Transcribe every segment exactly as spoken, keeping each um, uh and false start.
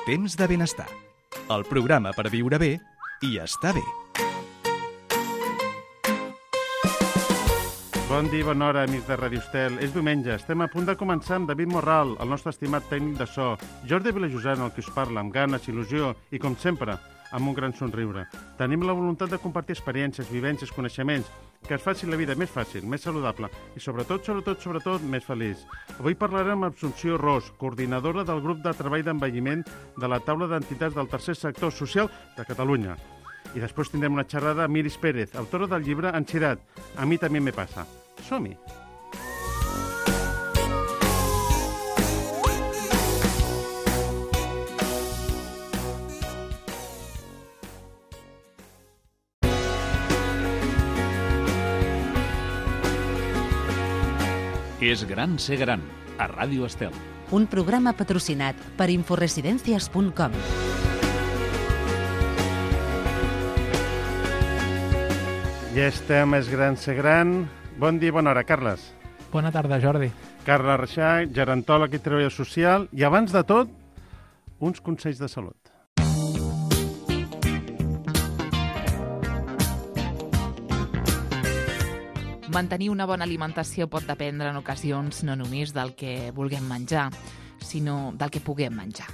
Temps de benestar. El programa per viure bé i estar bé. Bon dia, bona hora, amics de Radio Estel. És diumenge, estem a punt de començar amb David Morral, el nostre estimat tècnic de so, Jordi Vilajosana, el que us parla, amb ganes, il·lusió i, com sempre, amb un gran somriure. Tenim la voluntat de compartir experiències, vivències, coneixements, que es faci la vida més fàcil, més saludable i, sobretot, sobretot, sobretot, més feliç. Avui parlarem amb Assumpció Ros, coordinadora del grup de treball d'envelliment de la taula d'entitats del tercer sector social de Catalunya. I després tindrem una xerrada amb Iris Pérez, autora del llibre Ansietat. A mi també me passa. Som-hi! És gran ser gran, a Ràdio Estel. Un programa patrocinat per inforesidencias punt com. Ja estem, és gran ser gran. Bon dia, bona hora, Carles. Bona tarda, Jordi. Carles Reixà, gerontòleg i treballador social. I abans de tot, uns consells de salut. Mantenir una bona alimentació pot dependre en ocasions no només del que vulguem menjar, sinó del que puguem menjar.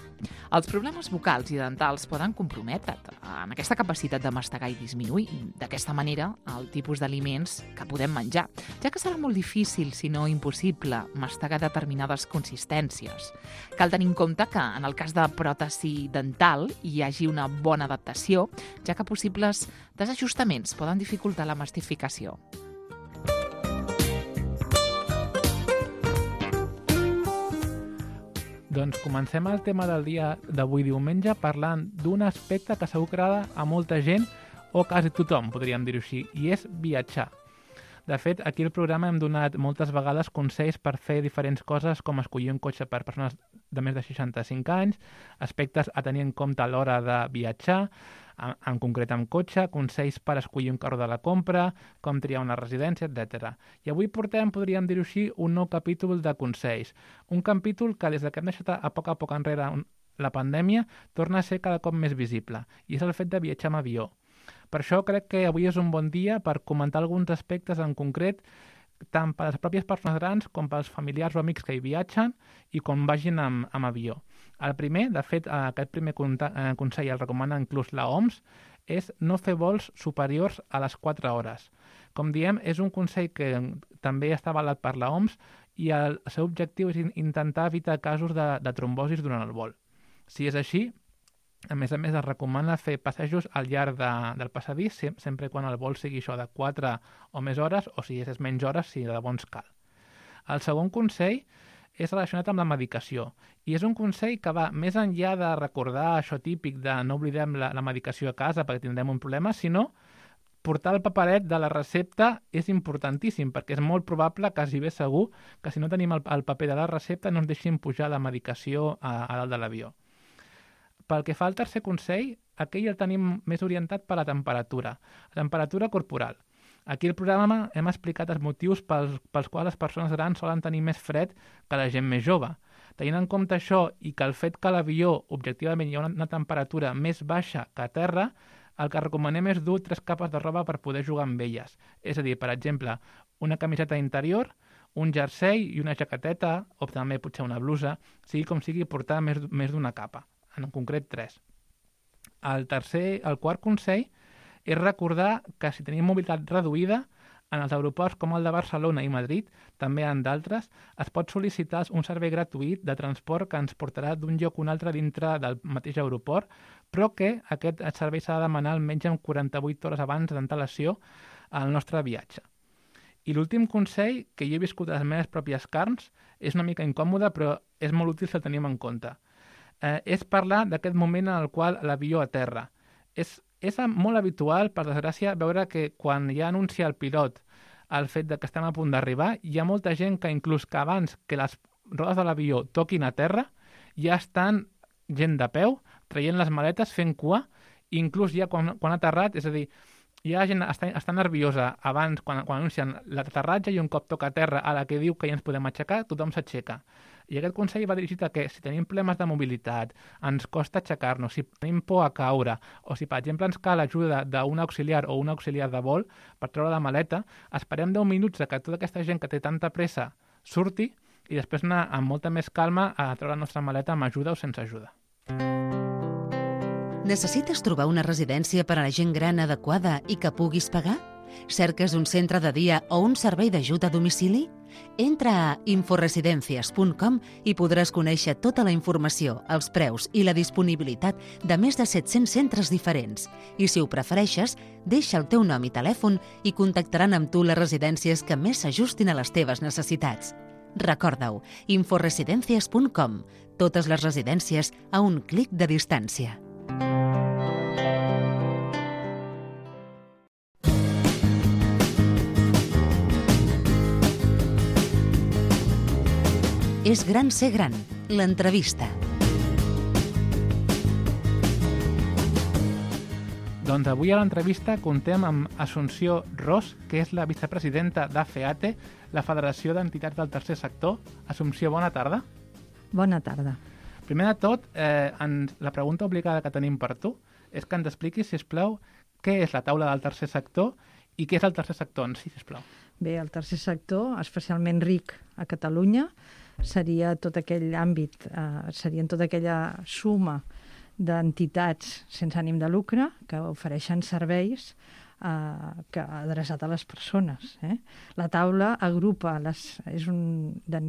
Els problemes vocals i dentals poden comprometre en aquesta capacitat de mastegar i disminuir d'aquesta manera el tipus d'aliments que podem menjar, ja que serà molt difícil, si no impossible, mastegar determinades consistències. Cal tenir en compte que en el cas de pròtesi dental hi hagi una bona adaptació, ja que possibles desajustaments poden dificultar la mastificació. Doncs comencem el tema del dia d'avui diumenge parlant d'un aspecte que segur que agrada a molta gent, o quasi tothom, podríem dir-ho així, i és viatjar. De fet, aquí al programa hem donat moltes vegades consells per fer diferents coses, com escollir un cotxe per persones de més de seixanta-cinc anys, aspectes a tenir en compte a l'hora de viatjar, en concret amb cotxe, consells per escollir un carro de la compra, com triar una residència, etcètera. I avui portem, podríem dir-ho així, un nou capítol de consells. Un capítol que des que hem deixat a poc a poc enrere la pandèmia torna a ser cada cop més visible, i és el fet de viatjar amb avió. Per això crec que avui és un bon dia per comentar alguns aspectes en concret, tant per les pròpies persones grans com pels familiars o amics que hi viatgen i com vagin amb, amb avió. El primer, de fet, aquest primer consell el recomana inclús la O M S, és no fer vols superiors a les quatre hores. Com diem, és un consell que també està avalat per la O M S i el seu objectiu és intentar evitar casos de, de trombosis durant el vol. Si és així, a més a més es recomana fer passejos al llarg de, del passadís, sempre quan el vol sigui això de quatre o més hores, o si és menys hores, si de bons cal. El segon consell és relacionat amb la medicació, i és un consell que va més enllà de recordar això típic de no oblidem la, la medicació a casa perquè tindrem un problema, sinó portar el paperet de la recepta és importantíssim, perquè és molt probable, quasi bé segur, que si no tenim el, el paper de la recepta no ens deixin pujar la medicació a, a dalt de l'avió. Pel que fa al tercer consell, aquell el tenim més orientat per la temperatura, la temperatura corporal. Aquí al programa hem explicat els motius pels, pels quals les persones grans solen tenir més fred que la gent més jove. Tenint en compte això i que el fet que a l'avió objectivament hi ha una, una temperatura més baixa que a terra, el que recomanem és dur tres capes de roba per poder jugar amb elles. És a dir, per exemple, una camiseta interior, un jersei i una jaqueteta, o també potser una blusa, sigui com sigui, portar més, més d'una capa. En concret tres. El tercer, el quart consell és recordar que si tenim mobilitat reduïda, en els aeroports com el de Barcelona i Madrid, també en d'altres, es pot sol·licitar un servei gratuït de transport que ens portarà d'un lloc a un altre dintre del mateix aeroport, però que aquest servei s'ha de demanar almenys en quaranta-vuit hores abans d'antelació al nostre viatge. I l'últim consell, que jo he viscut a les meves pròpies carns, és una mica incòmode, però és molt útil si el tenim en compte. Eh, és parlar d'aquest moment en el qual l'avió aterra. És, és molt habitual, per desgràcia, veure que quan ja anuncia el pilot el fet de que estem a punt d'arribar, hi ha molta gent que inclús que abans que les rodes de l'avió toquin a terra, ja estan gent de peu, traient les maletes, fent cua, i inclús ja quan, quan ha aterrat, és a dir, hi ha gent està, està nerviosa abans, quan, quan anuncien l'aterratge, i un cop toca a terra a la que diu que ja ens podem aixecar, tothom s'aixeca. I aquest consell va dirigit a que si tenim problemes de mobilitat, ens costa aixecar-nos, si tenim por a caure, o si, per exemple, ens cal ajuda d'un auxiliar o un auxiliar de vol per treure la maleta, esperem deu minuts que tota aquesta gent que té tanta pressa surti i després anar amb molta més calma a treure la nostra maleta amb ajuda o sense ajuda. Necessites trobar una residència per a la gent gran adequada i que puguis pagar? Cerques un centre de dia o un servei d'ajuda a domicili? Entra a inforesidencias punt com i podràs conèixer tota la informació, els preus i la disponibilitat de més de set-cents centres diferents. I si ho prefereixes, deixa el teu nom i telèfon i contactaran amb tu les residències que més s'ajustin a les teves necessitats. Recorda-ho, inforesidencias punt com. Totes les residències a un clic de distància. És gran ser gran, l'entrevista. Doncs avui a l'entrevista contem amb Assumpció Ros, que és la vicepresidenta d'AFEATE, la Federació d'Entitats del Tercer Sector. Assumpció, bona tarda. Bona tarda. Primer de tot, eh, ens, la pregunta obligada que tenim per tu és que ens expliquis, sisplau, què és la taula del tercer sector i què és el tercer sector en si, sisplau. Bé, el tercer sector, especialment ric a Catalunya, seria tot aquell àmbit, eh, serien tota aquella suma d'entitats sense ànim de lucre que ofereixen serveis eh, que adreçat a les persones. Eh? La taula agrupa, les, és un, de,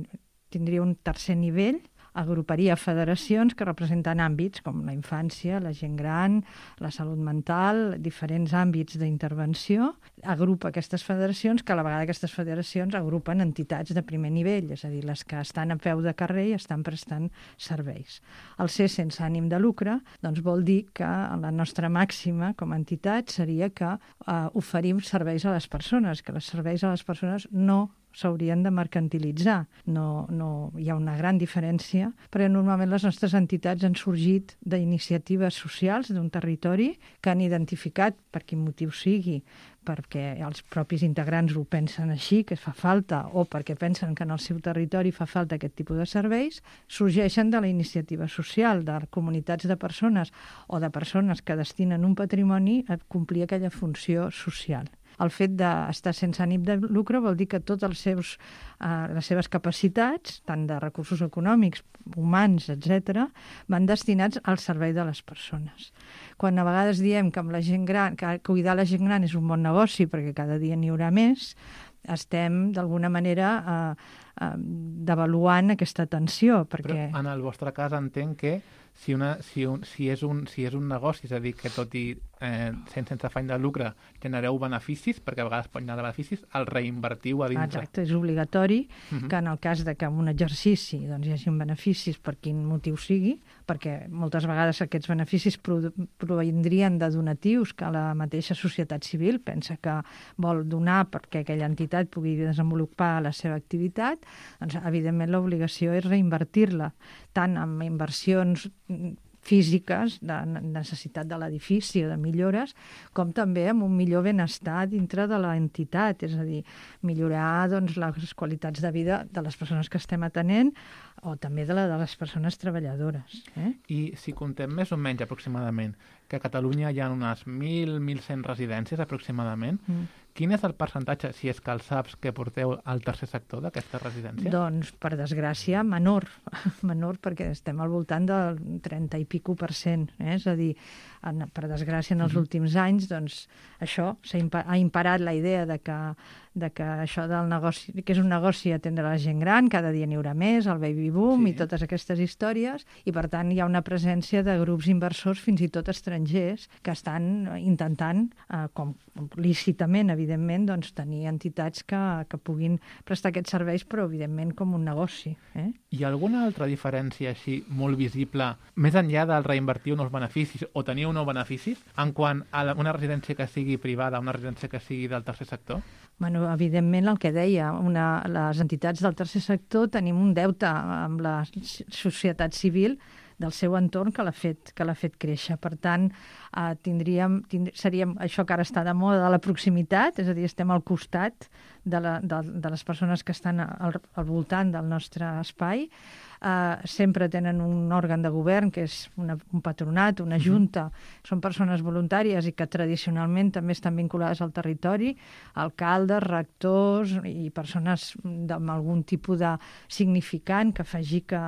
tindria un tercer nivell, agruparia federacions que representen àmbits com la infància, la gent gran, la salut mental, diferents àmbits d'intervenció. Agrupa aquestes federacions, que a la vegada aquestes federacions agrupen entitats de primer nivell, és a dir, les que estan a peu de carrer i estan prestant serveis. El ser sense ànim de lucre doncs vol dir que la nostra màxima com a entitat seria que eh, oferim serveis a les persones, que els serveis a les persones no s'haurien de mercantilitzar. No, no, hi ha una gran diferència, perquè normalment les nostres entitats han sorgit d'iniciatives socials d'un territori que han identificat, per quin motiu sigui, perquè els propis integrants ho pensen així, que fa falta, o perquè pensen que en el seu territori fa falta aquest tipus de serveis, sorgeixen de la iniciativa social, de comunitats de persones o de persones que destinen un patrimoni a complir aquella funció social. El fet d'estar sense ànim de lucre vol dir que totes els seus, eh, les seves capacitats, tant de recursos econòmics, humans, etcètera, van destinats al servei de les persones. Quan a vegades diem que amb la gent gran, que cuidar la gent gran és un bon negoci perquè cada dia n'hi haurà més, estem d'alguna manera eh, eh, devaluant aquesta atenció. Perquè... Però en el vostre cas entenc que si, una, si, un, si, és un, si és un negoci, és a dir, que tot i eh, sense afany de lucre genereu beneficis, perquè a vegades pot anar de beneficis, el reinvertiu a dintre. Exacte, és obligatori uh -huh. que en el cas de que en un exercici doncs, hi hagi beneficis per quin motiu sigui, perquè moltes vegades aquests beneficis provindrien de donatius que la mateixa societat civil pensa que vol donar perquè aquella entitat pugui desenvolupar la seva activitat, doncs evidentment l'obligació és reinvertir-la, tant en inversions físiques, de necessitat de l'edifici o de millores, com també amb un millor benestar dintre de l'entitat, és a dir, millorar doncs, les qualitats de vida de les persones que estem atenent o també de, la, de les persones treballadores. Eh? I si contem més o menys aproximadament que a Catalunya hi ha unes mil a mil cent residències aproximadament, mm. quin és el percentatge, si és que el saps, que porteu al tercer sector d'aquesta residència? Doncs, per desgràcia, menor. Menor perquè estem al voltant del trenta i pico per cent. Eh? És a dir, en, per desgràcia, en els uh-huh. últims anys, doncs, això impa- ha imparat la idea de que, de que això del negoci, que és un negoci atendre la gent gran, cada dia n'hi haurà més, el baby boom sí. i totes aquestes històries, i per tant hi ha una presència de grups inversors, fins i tot estrangers, que estan intentant, eh, com lícitament, evidentment, doncs, tenir entitats que, que puguin prestar aquests serveis, però evidentment com un negoci. Eh? Hi ha alguna altra diferència així molt visible, més enllà del reinvertir uns beneficis o tenir uns beneficis, en quant a la, una residència que sigui privada, una residència que sigui del tercer sector? Bueno, evidentment, el que deia, una, les entitats del tercer sector tenim un deute amb la societat civil del seu entorn que l'ha fet, que l'ha fet créixer. Per tant, eh, tindríem, tindr... seríem això que ara està de moda, de la proximitat, és a dir, estem al costat de, la, de, de les persones que estan al, al voltant del nostre espai. Uh, sempre tenen un òrgan de govern, que és una, un patronat, una junta, mm-hmm. són persones voluntàries i que tradicionalment també estan vinculades al territori, alcaldes, rectors i persones amb algun tipus de significant que faci que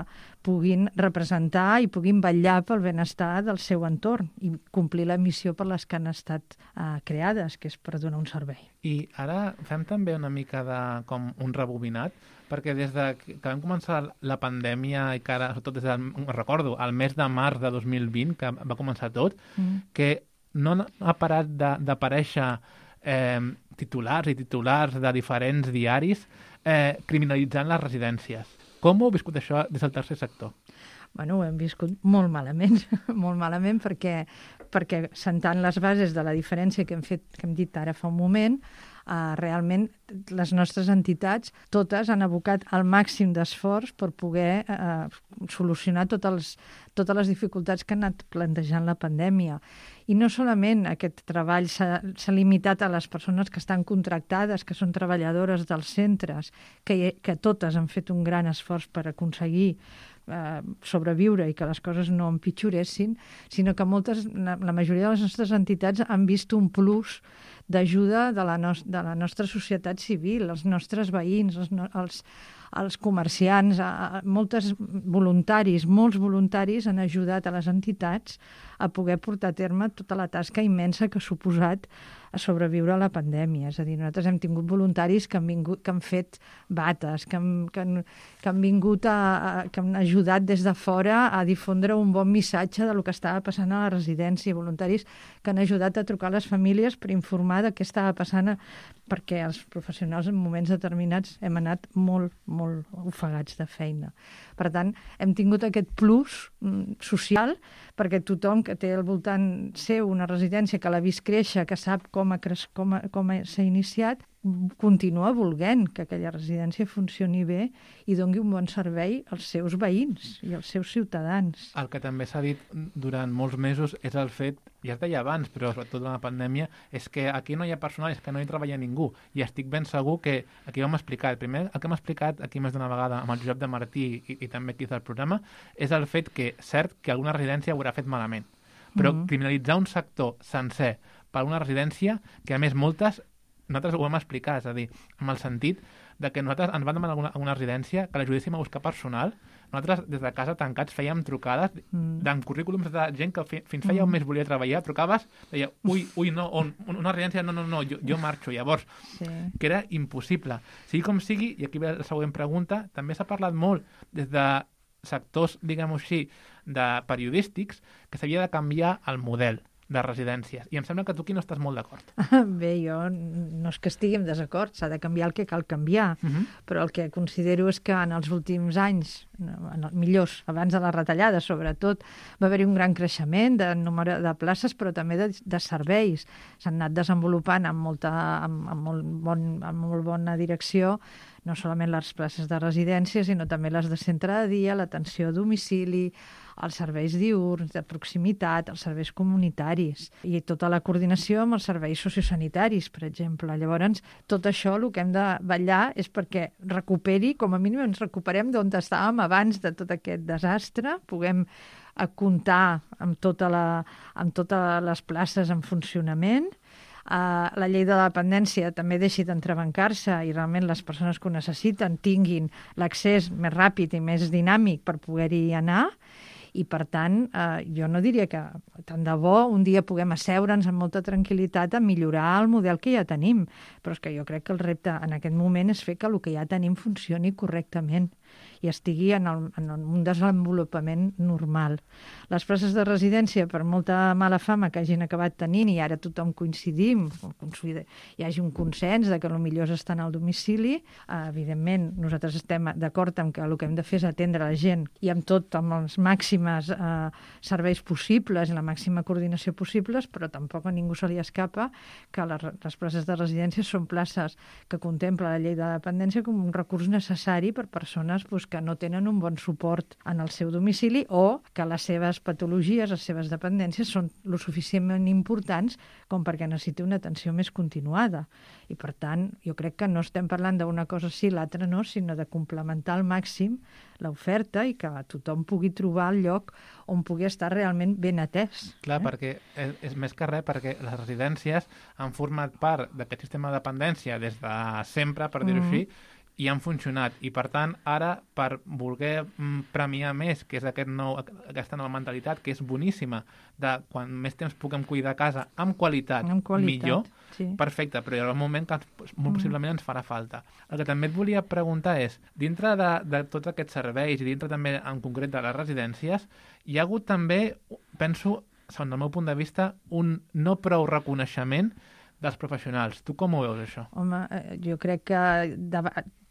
puguin representar i puguin vetllar pel benestar del seu entorn i complir la missió per les que han estat uh, creades, que és per donar un servei. I ara fem també una mica de com un rebobinat, perquè des de que vam començar la pandèmia i que ara, sobretot des del, recordo, el mes de març de dos mil vint, que va començar tot, mm. que no ha parat d'aparèixer eh, titulars i titulars de diferents diaris eh, criminalitzant les residències. Com ho heu viscut això des del tercer sector? Bueno, ho hem viscut molt malament, molt malament perquè, perquè sentant les bases de la diferència que hem fet, que hem dit ara fa un moment, Uh, realment les nostres entitats totes han abocat el màxim d'esforç per poder uh, solucionar totes les, totes les dificultats que ha anat plantejant la pandèmia. I no solament aquest treball s'ha limitat a les persones que estan contractades, que són treballadores dels centres, que, que totes han fet un gran esforç per aconseguir eh, sobreviure i que les coses no empitjoressin, sinó que moltes, la, la majoria de les nostres entitats han vist un plus d'ajuda de, la no, de la nostra societat civil, els nostres veïns, els, els, els comerciants, a, a, moltes voluntaris, molts voluntaris han ajudat a les entitats a poder portar a terme tota la tasca immensa que ha suposat a sobreviure a la pandèmia. És a dir, nosaltres hem tingut voluntaris que han, vingut, que han fet bates, que han, que han, que han vingut a, a, que han ajudat des de fora a difondre un bon missatge de lo que estava passant a la residència, voluntaris que han ajudat a trucar a les famílies per informar de què estava passant, perquè els professionals en moments determinats hem anat molt, molt ofegats de feina. Per tant, hem tingut aquest plus mm, social, perquè tothom que té al voltant seu una residència, que l'ha vist créixer, que sap com ha cres... com, ha... com s'ha iniciat, continua volent que aquella residència funcioni bé i doni un bon servei als seus veïns i als seus ciutadans. El que també s'ha dit durant molts mesos és el fet, ja es deia abans, però sobretot durant la pandèmia, és que aquí no hi ha personal, és que no hi treballa ningú. I estic ben segur que aquí ho hem explicat. Primer, el que hem explicat aquí més d'una vegada amb el Josep de Martí i, i també aquí del programa, és el fet que, cert, que alguna residència ho haurà fet malament. Però mm-hmm. criminalitzar un sector sencer per una residència, que a més moltes nosaltres ho vam explicar, és a dir, amb el sentit de que nosaltres ens vam demanar alguna, alguna residència que l'ajudéssim a buscar personal. Nosaltres, des de casa, tancats, fèiem trucades mm. d'en currículums de gent que fi, fins feia un mes volia treballar, trucaves, deia, ui, ui, no, on, una residència, no, no, no, jo, jo marxo. Llavors, sí. que era impossible. Sigui com sigui, i aquí ve la següent pregunta, també s'ha parlat molt des de sectors, diguem-ho així, de periodístics, que s'havia de canviar el model de residències. I em sembla que tu aquí no estàs molt d'acord. Bé, jo no és que estigui en desacord, s'ha de canviar el que cal canviar, uh-huh. però el que considero és que en els últims anys, en els millors, abans de les retallades sobretot, va haver-hi un gran creixement de número de places, però també de, de serveis. S'han anat desenvolupant amb molta, amb, amb, molt bon, amb molt bona direcció, no solament les places de residència, sinó també les de centre de dia, l'atenció a domicili, els serveis diürns, de proximitat, els serveis comunitaris i tota la coordinació amb els serveis sociosanitaris, per exemple. Llavors, tot això el que hem de vetllar és perquè recuperi, com a mínim ens recuperem d'on estàvem abans de tot aquest desastre, puguem comptar amb, tota la, amb totes les places en funcionament. Uh, la llei de la dependència també deixi d'entrebancar-se i realment les persones que ho necessiten tinguin l'accés més ràpid i més dinàmic per poder-hi anar. I, per tant, eh, jo no diria que tant de bo un dia puguem asseure'ns amb molta tranquil·litat a millorar el model que ja tenim. Però és que jo crec que el repte en aquest moment és fer que el que ja tenim funcioni correctament i estigui en, el, en un desenvolupament normal. Les places de residència, per molta mala fama que hagin acabat tenint, i ara tothom coincidim, hi hagi un consens de que el millor és estar al domicili, eh, evidentment nosaltres estem d'acord amb que el que hem de fer és atendre la gent i amb tot, amb els màxims eh, serveis possibles i la màxima coordinació possibles, però tampoc a ningú se li escapa que les, les places de residència són places que contempla la llei de dependència com un recurs necessari per persones persones pues, que no tenen un bon suport en el seu domicili o que les seves patologies, les seves dependències són lo suficientment importants com perquè necessiti una atenció més continuada. I, per tant, jo crec que no estem parlant d'una cosa sí, l'altra no, sinó de complementar al màxim l'oferta i que tothom pugui trobar el lloc on pugui estar realment ben atès. Clar, eh? perquè és, és més que res, perquè les residències han format part d'aquest sistema de dependència des de sempre, per dir-ho Mm-hmm. així, i han funcionat. I, per tant, ara, per voler mm, premiar més, que és aquest nou, aquesta nova mentalitat, que és boníssima, de quan més temps puguem cuidar a casa amb qualitat, Amb qualitat, millor, sí. perfecte, però hi haurà un moment que ens- molt Mm. possiblement ens farà falta. El que també et volia preguntar és, dintre de, de tots aquests serveis i dintre també en concret de les residències, hi ha hagut també, penso, segons el meu punt de vista, un no prou reconeixement dels professionals. Tu com ho veus, això? Home, eh, jo crec que de,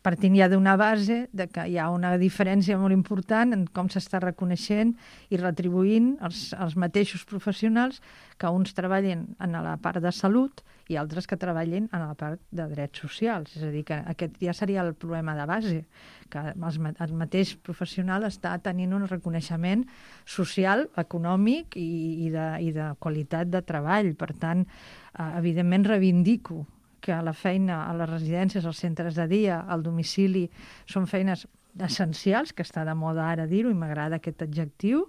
partint ja d'una base de que hi ha una diferència molt important en com s'està reconeixent i retribuint els, els mateixos professionals, que uns treballin en la part de salut i altres que treballin en la part de drets socials. És a dir, que aquest ja seria el problema de base, que els, ma- el mateix professional està tenint un reconeixement social, econòmic i, i, de, i de qualitat de treball. Per tant, eh, evidentment reivindico que la feina a les residències, als centres de dia, al domicili, són feines essencials, que està de moda ara dir-ho, i m'agrada aquest adjectiu,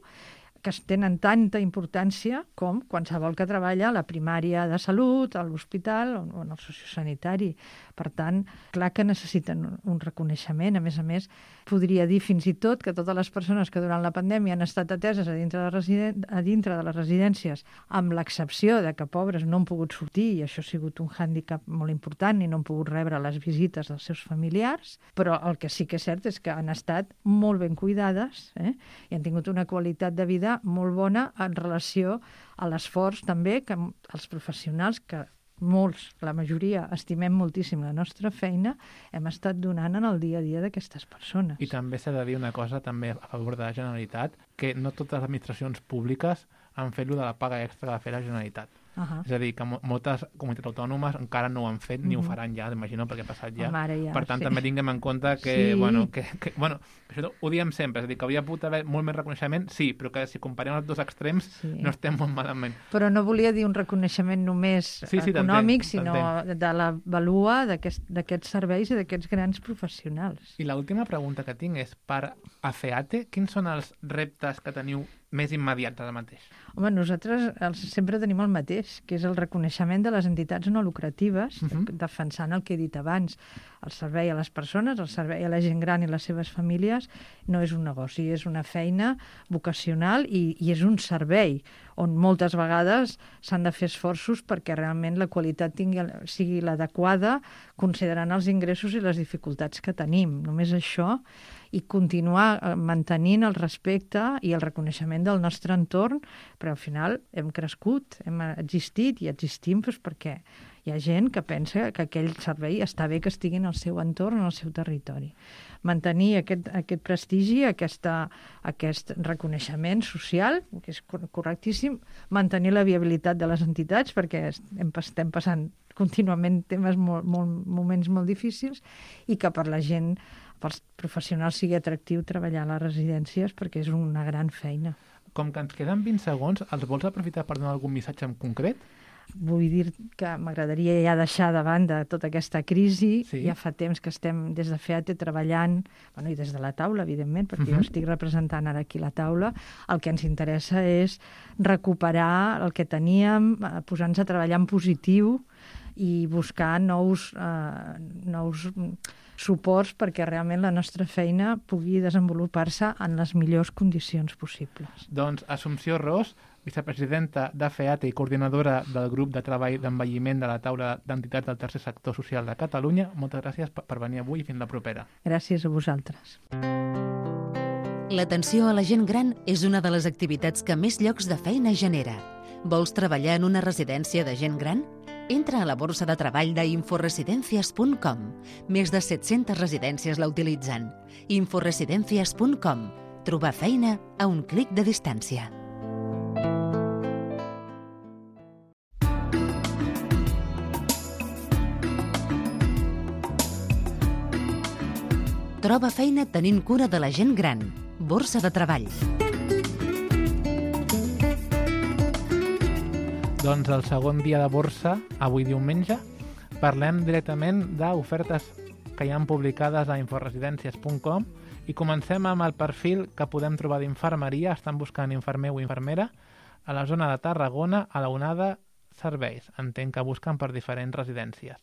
que tenen tanta importància com qualsevol que treballa a la primària de salut, a l'hospital o en el sociosanitari. Per tant, clar que necessiten un- un reconeixement. A més a més, podria dir fins i tot que totes les persones que durant la pandèmia han estat ateses a dintre de, residen... a dintre de les residències, amb l'excepció de que pobres no han pogut sortir, i això ha sigut un hàndicap molt important, i no han pogut rebre les visites dels seus familiars, però el que sí que és cert és que han estat molt ben cuidades, eh? I han tingut una qualitat de vida molt bona en relació a l'esforç també que els professionals, que molts, la majoria, estimem moltíssim la nostra feina, hem estat donant en el dia a dia d'aquestes persones. I també s'ha de dir una cosa també a favor de la Generalitat, que no totes les administracions públiques han fet lo de la paga extra que va fer la Generalitat. Uh-huh. És a dir, que mo moltes comunitats autònomes encara no ho han fet, ni ho Mhm. faran ja, imagino, perquè ha passat ja. Home, ara ja, per tant, sí. també tinguem en compte que, Sí. bueno, que, que, bueno, això ho diem sempre, és a dir, que hauria pogut haver molt més reconeixement, sí, però que si comparem els dos extrems Sí. no estem molt malament. Però no volia dir un reconeixement només Sí, sí, econòmic, t'entenc, sinó t'entenc. de la valua d'aquest- d'aquests serveis i d'aquests grans professionals. I l'última pregunta que tinc és, per a FEATE, quins són els reptes que teniu més immediats ara mateix? Home, nosaltres els, sempre tenim el mateix, que és el reconeixement de les entitats no lucratives, uh Mhm. -huh. defensant el que he dit abans. El servei a les persones, el servei a la gent gran i les seves famílies no és un negoci, és una feina vocacional i, i és un servei on moltes vegades s'han de fer esforços perquè realment la qualitat tingui, sigui l'adequada, considerant els ingressos i les dificultats que tenim. Només això, i continuar eh, mantenint el respecte i el reconeixement del nostre entorn, però al final hem crescut, hem existit i existim doncs, perquè hi ha gent que pensa que aquell servei està bé que estigui en el seu entorn, en el seu territori. Mantenir aquest, aquest prestigi, aquesta, aquest reconeixement social, que és cor- correctíssim, mantenir la viabilitat de les entitats, perquè estem, estem passant contínuament temes molt, molt, moments molt difícils, i que per la gent, pels professionals, sigui atractiu treballar a les residències, perquè és una gran feina. Com que ens queden vint segons, els vols aprofitar per donar algun missatge en concret? Vull dir que m'agradaria ja deixar de banda tota aquesta crisi. Sí. Ja fa temps que estem des de FEATE treballant, bueno, i des de la taula, evidentment, perquè Mhm. jo estic representant ara aquí la taula. El que ens interessa és recuperar el que teníem, eh, posar-nos a treballar en positiu i buscar nous, eh, nous suports perquè realment la nostra feina pugui desenvolupar-se en les millors condicions possibles. Doncs Assumpció Ros, vicepresidenta de FEATE i coordinadora del grup de treball d'envelliment de la taula d'entitats del tercer sector social de Catalunya, moltes gràcies per per venir avui i fins la propera. Gràcies a vosaltres. L'atenció a la gent gran és una de les activitats que més llocs de feina genera. Vols treballar en una residència de gent gran? Entra a la borsa de treball d'inforesidencias punt com. Més de set-centes residències la utilitzen. inforesidencias punt com. Trobar feina a un clic de distància. Troba feina tenint cura de la gent gran. Borsa de treball. Doncs el segon dia de borsa, avui diumenge, parlem directament d'ofertes que hi han publicades a inforesidències punt com i comencem amb el perfil que podem trobar d'infermeria. Estan buscant infermer o infermera a la zona de Tarragona, a la onada serveis. Entenc que busquen per diferents residències.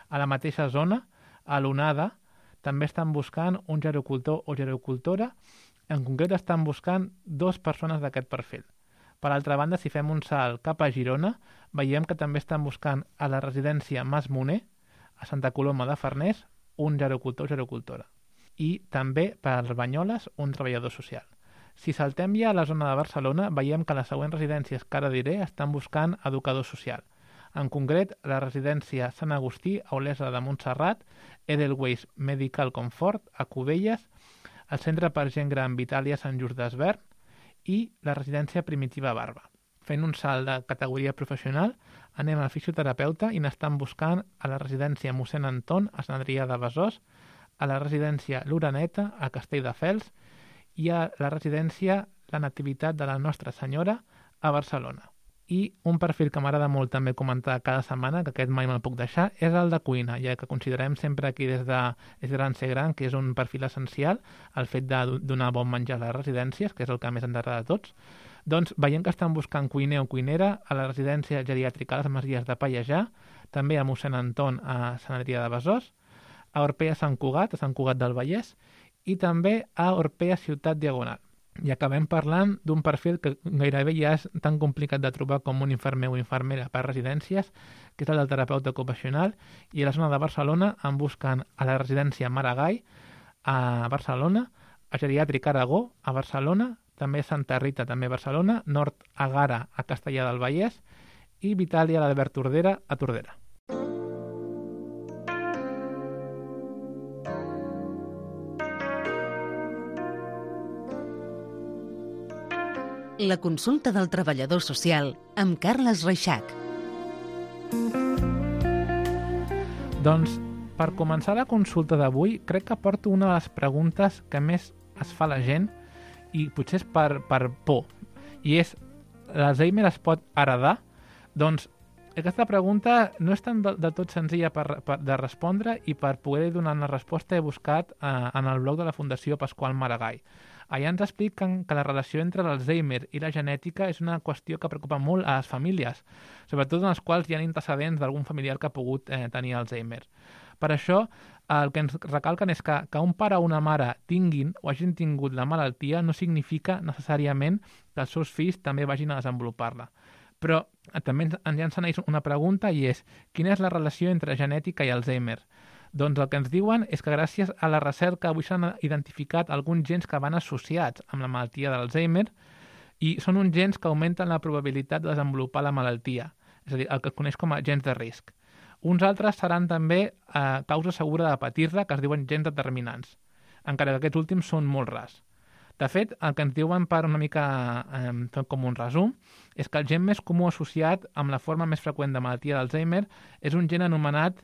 A la mateixa zona, a l'onada, també estan buscant un gerocultor o gerocultora. En concret estan buscant dues persones d'aquest perfil. Per altra banda, si fem un salt cap a Girona, veiem que també estan buscant a la residència Mas Moner, a Santa Coloma de Farners, un gerocultor o gerocultora. I també per als Banyoles, un treballador social. Si saltem ja a la zona de Barcelona, veiem que les següents residències que ara diré estan buscant educador social. En concret, la residència Sant Agustí, a Olesa de Montserrat, Edelweiss Medical Comfort, a Cubelles, el Centre per Gent Gran Vitàlia Sant Just d'Esvern i la residència Primitiva Barba. Fent un salt de categoria professional, anem al fisioterapeuta i n'estan buscant a la residència Mossèn Anton, a Sant Adrià de Besòs, a la residència L'Oreneta, a Castelldefels, i a la residència La Nativitat de la Nostra Senyora, a Barcelona. I un perfil que m'agrada molt també comentar cada setmana, que aquest mai me'l puc deixar, és el de cuina, ja que considerem sempre aquí des de És gran ser gran, que és un perfil essencial, el fet de donar bon menjar a les residències, que és el que més ens agrada a tots. Doncs veiem que estan buscant cuiner o cuinera a la residència geriàtrica a les Masies de Pallejà, també a Mossèn Anton, a Sant Adrià de Besòs, a Orpea Sant Cugat, a Sant Cugat del Vallès, i també a Orpea Ciutat Diagonal. I acabem parlant d'un perfil que gairebé ja és tan complicat de trobar com un infermer o infermera per residències, que és el del terapeuta ocupacional, i a la zona de Barcelona en busquen a la residència Maragall, a Barcelona, a Geriàtric Aragó, a Barcelona, també Santa Rita, també a Barcelona, Nord Agara, a Castellà del Vallès, i Vitàlia l'Albert Tordera, a Tordera. La consulta del treballador social amb Carles Reixac. Doncs, per començar la consulta d'avui, crec que porto una de les preguntes que més es fa la gent i potser és per, per por. I és, l'Alzheimer es pot heredar? Doncs aquesta pregunta no és tan de, de tot senzilla per, per, de respondre, i per poder donar una resposta he buscat eh, en el blog de la Fundació Pasqual Maragall. Allà ens expliquen que la relació entre l'Alzheimer i la genètica és una qüestió que preocupa molt a les famílies, sobretot en les quals hi ha antecedents d'algun familiar que ha pogut eh, tenir Alzheimer. Per això, el que ens recalquen és que, que un pare o una mare tinguin o hagin tingut la malaltia no significa necessàriament que els seus fills també vagin a desenvolupar-la. Però eh, també ens, ens llancen una pregunta, i és: quina és la relació entre genètica i Alzheimer? Doncs el que ens diuen és que gràcies a la recerca avui s'han identificat alguns gens que van associats amb la malaltia d'Alzheimer, i són uns gens que augmenten la probabilitat de desenvolupar la malaltia, és a dir, el que es coneix com a gens de risc. Uns altres seran també eh, causa segura de patir-la, que es diuen gens determinants, encara que aquests últims són molt rars. De fet, el que ens diuen per una mica eh, com un resum és que el gen més comú associat amb la forma més freqüent de malaltia d'Alzheimer és un gen anomenat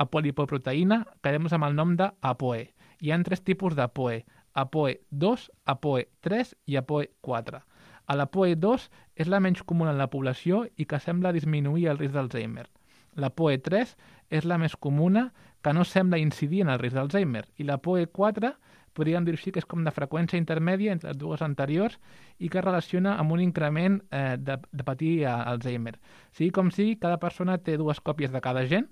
apolipoproteïna, que quedem amb el nom d'APOE. Hi ha tres tipus d'APOE: APOE dos, APOE tres i APOE quatre. A l'APOE dos és la menys comuna en la població i que sembla disminuir el risc d'Alzheimer. L'APOE tres és la més comuna, que no sembla incidir en el risc d'Alzheimer. I l'APOE quatre podríem dir així que és com de freqüència intermèdia entre les dues anteriors i que es relaciona amb un increment eh, de, de patir Alzheimer. Sigui com sigui, cada persona té dues còpies de cada gen,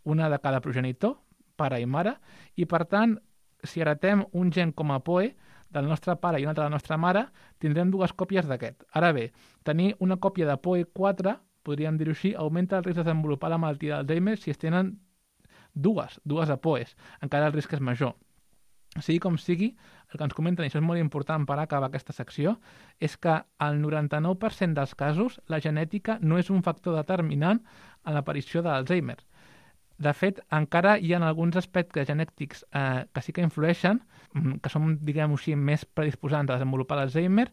una de cada progenitor, pare i mare, i per tant, si heretem un gen com a APOE del nostre pare i una altra de la nostra mare, tindrem dues còpies d'aquest. Ara bé, tenir una còpia d'APOE quatre, podríem dir-ho així, augmenta el risc de desenvolupar la malaltia d'Alzheimer si es tenen dues, dues APOEs, encara el risc és major. Sigui com sigui, el que ens comenten, i això és molt important per acabar aquesta secció, és que al noranta-nou per cent dels casos la genètica no és un factor determinant en l'aparició de l'Alzheimer. De fet, encara hi ha alguns aspectes genètics eh, que sí que influeixen, que són, diguem-ho així, més predisposants a desenvolupar l'Alzheimer,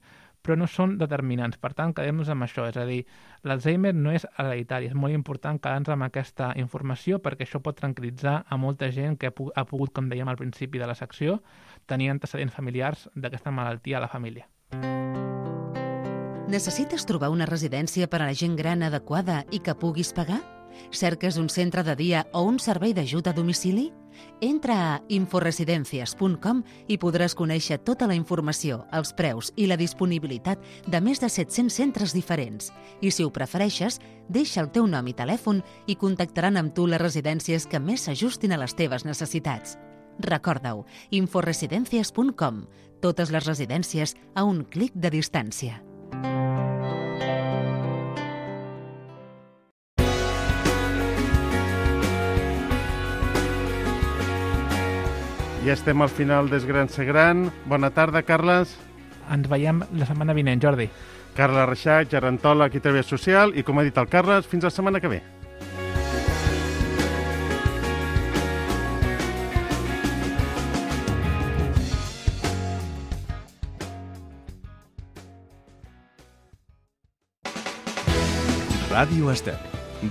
però no són determinants. Per tant, quedem-nos amb això. És a dir, l'Alzheimer no és hereditari. És molt important quedar-nos amb aquesta informació perquè això pot tranquil·litzar a molta gent que ha pogut, com dèiem al principi de la secció, tenir antecedents familiars d'aquesta malaltia a la família. Necessites trobar una residència per a la gent gran adequada i que puguis pagar? Cerques un centre de dia o un servei d'ajut a domicili? Entra a inforesidencias punt com i podràs conèixer tota la informació, els preus i la disponibilitat de més de set-cents centres diferents. I si ho prefereixes, deixa el teu nom i telèfon i contactaran amb tu les residències que més s'ajustin a les teves necessitats. Recorda-ho, inforesidencias punt com. Totes les residències a un clic de distància. Ja estem al final d'És Gran Ser Gran. Bona tarda, Carles. Ens veiem la setmana vinent, Jordi. Carles Reixac, gerontòleg i treball social, i com ha dit el Carles, fins la setmana que ve. Ràdio Estel,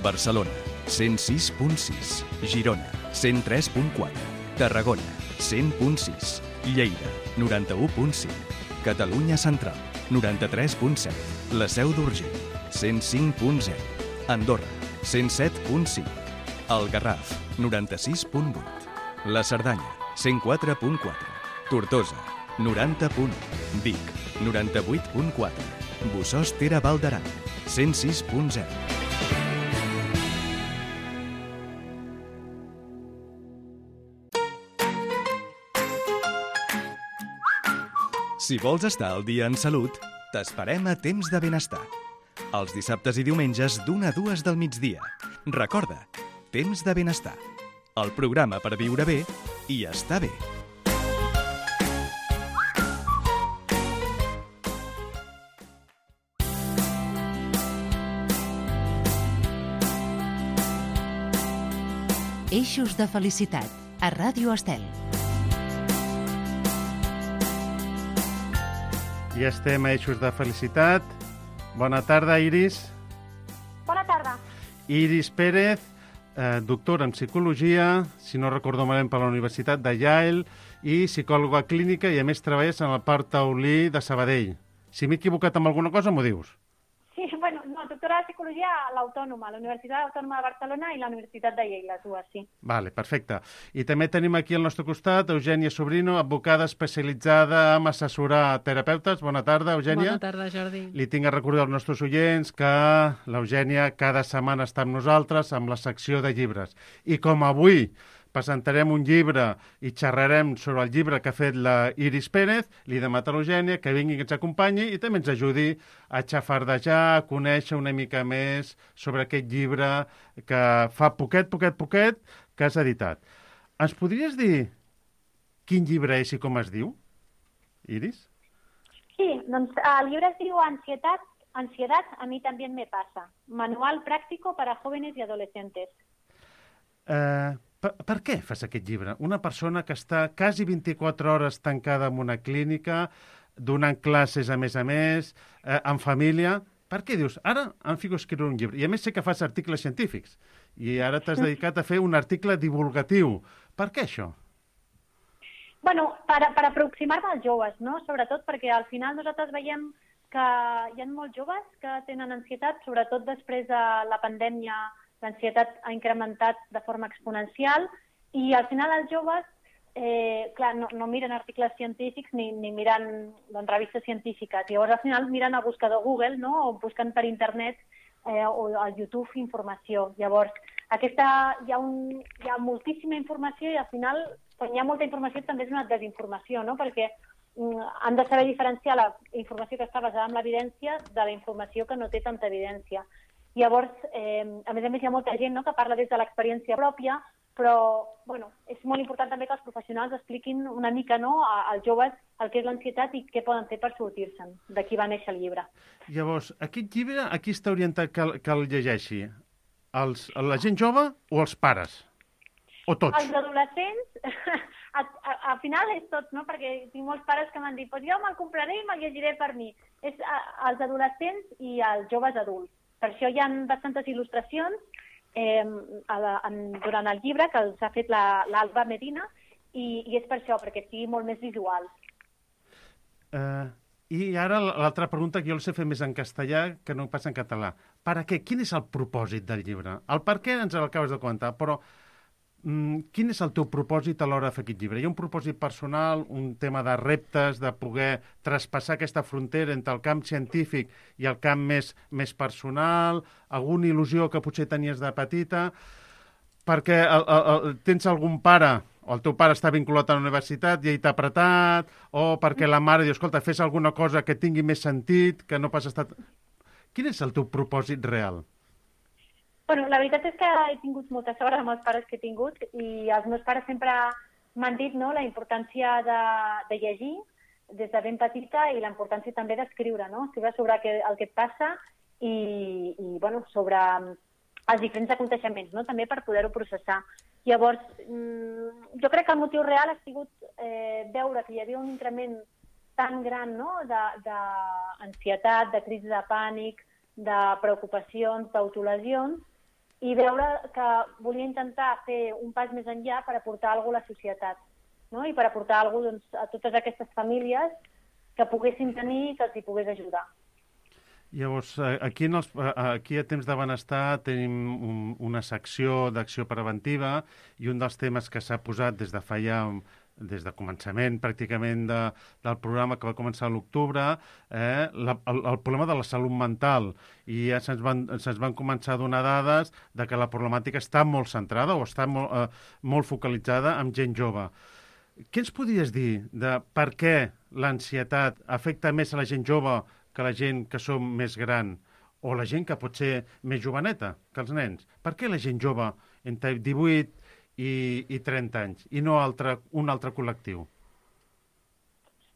Barcelona, cent sis punt sis, Girona, cent tres punt quatre, Tarragona, cent punt sis, Lleida, noranta-u punt cinc, Catalunya Central, noranta-tres punt set, La Seu d'Urgell, cent cinc punt zero, Andorra, cent set punt cinc, El Garraf, noranta-sis punt vuit, La Cerdanya, cent quatre punt quatre, Tortosa, noranta punt u, Vic, noranta-vuit punt quatre, Bossòst Tere Val d'Aran, cent sis punt zero. Si vols estar al dia en salut, t'esperem a Temps de Benestar. Els dissabtes i diumenges d'una a dues del migdia. Recorda, Temps de Benestar. El programa per viure bé i estar bé. Eixos de felicitat, a Ràdio Estel. Ja estem a Eixos de Felicitat. Bona tarda, Iris. Bona tarda. Iris Pérez, eh, doctora en Psicologia, si no recordo malament per la Universitat de Yale, i psicòloga clínica, i a més treballes en el Parc Taulí de Sabadell. Si m'he equivocat amb alguna cosa, m'ho dius. Sí, bueno, no, doctora de Psicologia a l'Autònoma, a la Universitat Autònoma de Barcelona i la Universitat de Yale, les dues, sí. Vale, perfecte. I també tenim aquí al nostre costat Eugènia Sobrino, advocada especialitzada en assessorar terapeutes. Bona tarda, Eugènia. Bona tarda, Jordi. Li tinc a recordar als nostres oients que l'Eugènia cada setmana està amb nosaltres amb la secció de llibres. I com avui presentarem un llibre i xerrarem sobre el llibre que ha fet la Iris Pérez, li demanem a l'Eugènia que vingui, que ens acompanyi i també ens ajudi a xafardejar, a conèixer una mica més sobre aquest llibre que fa poquet, poquet, poquet que has editat. Ens podries dir quin llibre és i com es diu, Iris? Sí, doncs el llibre es diu Ansietat, Ansiedad, a mi también me pasa. Manual práctico para jóvenes y adolescentes. Eh... Per, per què fas aquest llibre? Una persona que està quasi vint-i-quatre hores tancada en una clínica, donant classes a més a més, eh, en família. Per què dius, ara em fico a escriure un llibre? I a més sé que fas articles científics. I ara t'has dedicat a fer un article divulgatiu. Per què això? Bueno, per, per aproximar-me als joves, no? Sobretot perquè al final nosaltres veiem que hi ha molts joves que tenen ansietat, sobretot després de la pandèmia. L'ansietat ha incrementat de forma exponencial i al final els joves eh, clar, no, no miren articles científics ni, ni miren doncs, revistes científiques. Llavors al final miren el buscador Google, no? O busquen per internet eh, o al YouTube informació. Llavors aquesta, hi, ha un, hi ha moltíssima informació i al final quan hi ha molta informació també és una desinformació, no? Perquè mm, han de saber diferenciar la informació que està basada en l'evidència de la informació que no té tanta evidència. Llavors, eh, a més a més, hi ha molta gent, no?, que parla des de l'experiència pròpia, però bueno, és molt important també que els professionals expliquin una mica, no?, als joves el que és l'ansietat i què poden fer per sortir-se'n. D'aquí va néixer el llibre. Llavors, aquest llibre, a qui està orientat que, que el llegeixi? Els, la gent jove o els pares? O tots? Els adolescents, a, a, a final és tot, no? Perquè tinc molts pares que m'han dit pues jo me'l compraré i me'l llegiré per mi. És a, als adolescents i als joves adults. Per això hi ha bastantes il·lustracions eh, a la, en, durant el llibre que els ha fet l'Alba la, Medina i, i és per això, perquè sigui molt més visual. Uh, I ara l'altra pregunta que jo el sé fer més en castellà que no passa en català. Per a què? Quin és el propòsit del llibre? El per què ens l'acabes de comentar, però mm, quin és el teu propòsit a l'hora de fer aquest llibre? Hi ha un propòsit personal, un tema de reptes, de poder traspassar aquesta frontera entre el camp científic i el camp més, més personal, alguna il·lusió que potser tenies de petita, perquè el, el, el, tens algun pare o el teu pare està vinculat a la universitat i ell t'ha apretat, o perquè la mare diu, escolta, fes alguna cosa que tingui més sentit, que no pas estat... Quin és el teu propòsit real? Bueno, la veritat és que he tingut molta sort amb els pares que he tingut i els meus pares sempre m'han dit, no?, la importància de, de llegir des de ben petita i la importància també d'escriure, no? Escriure sobre el que, el que et passa i, i bueno, sobre els diferents aconteixements, no?, també per poder-ho processar. Llavors, jo crec que el motiu real ha sigut eh, veure que hi havia un increment tan gran, no?, d'ansietat, de, de crisi de pànic, de preocupacions, d'autolesions, i veure que volia intentar fer un pas més enllà per aportar alguna cosa a la societat, no?, i per aportar alguna cosa, doncs, a totes aquestes famílies que poguessin tenir i que els hi pogués ajudar. Llavors, aquí, en els, aquí a Temps de Benestar tenim un, una secció d'acció preventiva i un dels temes que s'ha posat des de fa ja, des de començament pràcticament de, del programa que va començar a l'octubre, eh, la, el, el problema de la salut mental. I ja se'ns van, se'ns van començar a donar dades de que la problemàtica està molt centrada o està molt, eh, molt focalitzada en gent jove. Què ens podries dir de per què l'ansietat afecta més a la gent jove que la gent que som més gran, o la gent que pot ser més joveneta que els nens? Per què la gent jove entre divuit i, i trenta anys i no altre, un altre col·lectiu?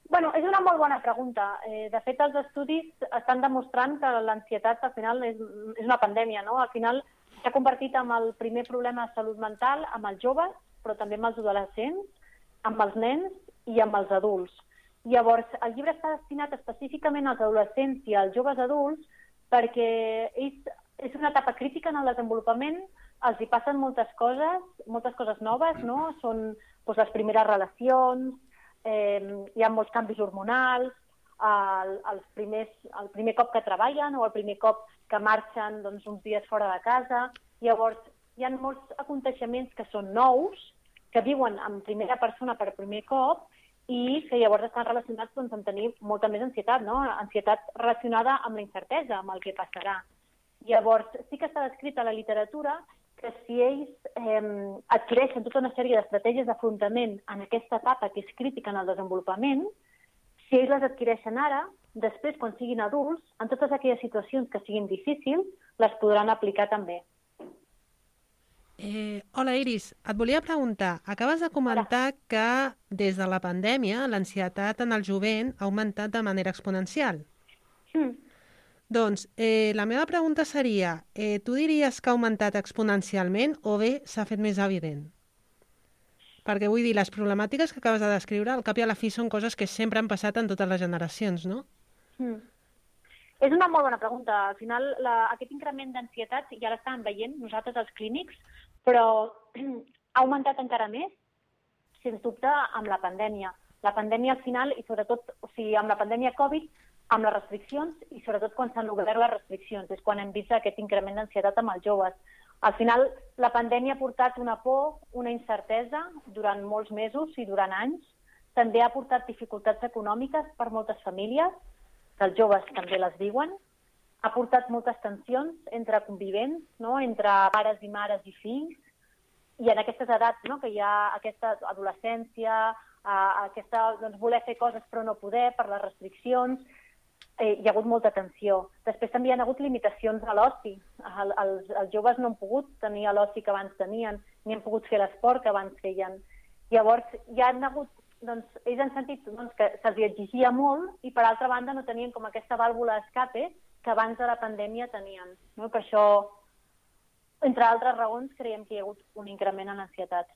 Bueno, és una molt bona pregunta. Eh, de fet, els estudis estan demostrant que l'ansietat al final és, és una pandèmia, no? Al final s'ha convertit en el primer problema de salut mental amb els joves, però també amb els adolescents, amb els nens i amb els adults. Llavors, el llibre està destinat específicament als adolescents i als joves adults perquè és, és una etapa crítica en el desenvolupament, els hi passen moltes coses, moltes coses noves, no? Són doncs, les primeres relacions, eh, hi ha molts canvis hormonals, el, els primers, el primer cop que treballen o el primer cop que marxen doncs, uns dies fora de casa. Llavors, hi ha molts aconteixements que són nous, que viuen en primera persona per primer cop, i que llavors estan relacionats doncs, amb tenir molta més ansietat, no? Ansietat relacionada amb la incertesa, amb el que passarà. Llavors, sí que està descrit a la literatura que si ells eh, adquireixen tota una sèrie d'estratègies d'afrontament en aquesta etapa que és crítica en el desenvolupament, si ells les adquireixen ara, després, quan siguin adults, en totes aquelles situacions que siguin difícils, les podran aplicar també. Eh, hola, Iris. Et volia preguntar, acabes de comentar hola. Que des de la pandèmia l'ansietat en el jovent ha augmentat de manera exponencial. Mm. Doncs eh, la meva pregunta seria, eh, tu diries que ha augmentat exponencialment o bé s'ha fet més evident? Perquè vull dir, les problemàtiques que acabes de descriure, al cap i a la fi són coses que sempre han passat en totes les generacions, no? Mm. És una molt bona pregunta. Al final, la, aquest increment d'ansietat ja l'estàvem veient nosaltres els clínics, però ha augmentat encara més, sens dubte, amb la pandèmia. La pandèmia al final, i sobretot, o sigui, amb la pandèmia Covid, amb les restriccions, i sobretot quan s'han obert les restriccions, és quan hem vist aquest increment d'ansietat amb els joves. Al final, la pandèmia ha portat una por, una incertesa durant molts mesos i durant anys. També ha portat dificultats econòmiques per moltes famílies, que els joves també les viuen. Ha portat moltes tensions entre convivents, no? Entre pares i mares i fills, i en aquestes edats, no? Que hi ha aquesta adolescència, eh, aquesta, doncs, voler fer coses però no poder per les restriccions, eh, hi ha hagut molta tensió. Després també hi ha hagut limitacions a l'oci. El, els, els joves no han pogut tenir l'oci que abans tenien, ni han pogut fer l'esport que abans feien. Llavors, hi ha hagut doncs, ells han sentit doncs, que se'ls exigia molt i, per altra banda, no tenien com aquesta vàlvula d'escape que abans de la pandèmia tenien. No? Per això, entre altres raons, creiem que hi ha hagut un increment en l'ansietat.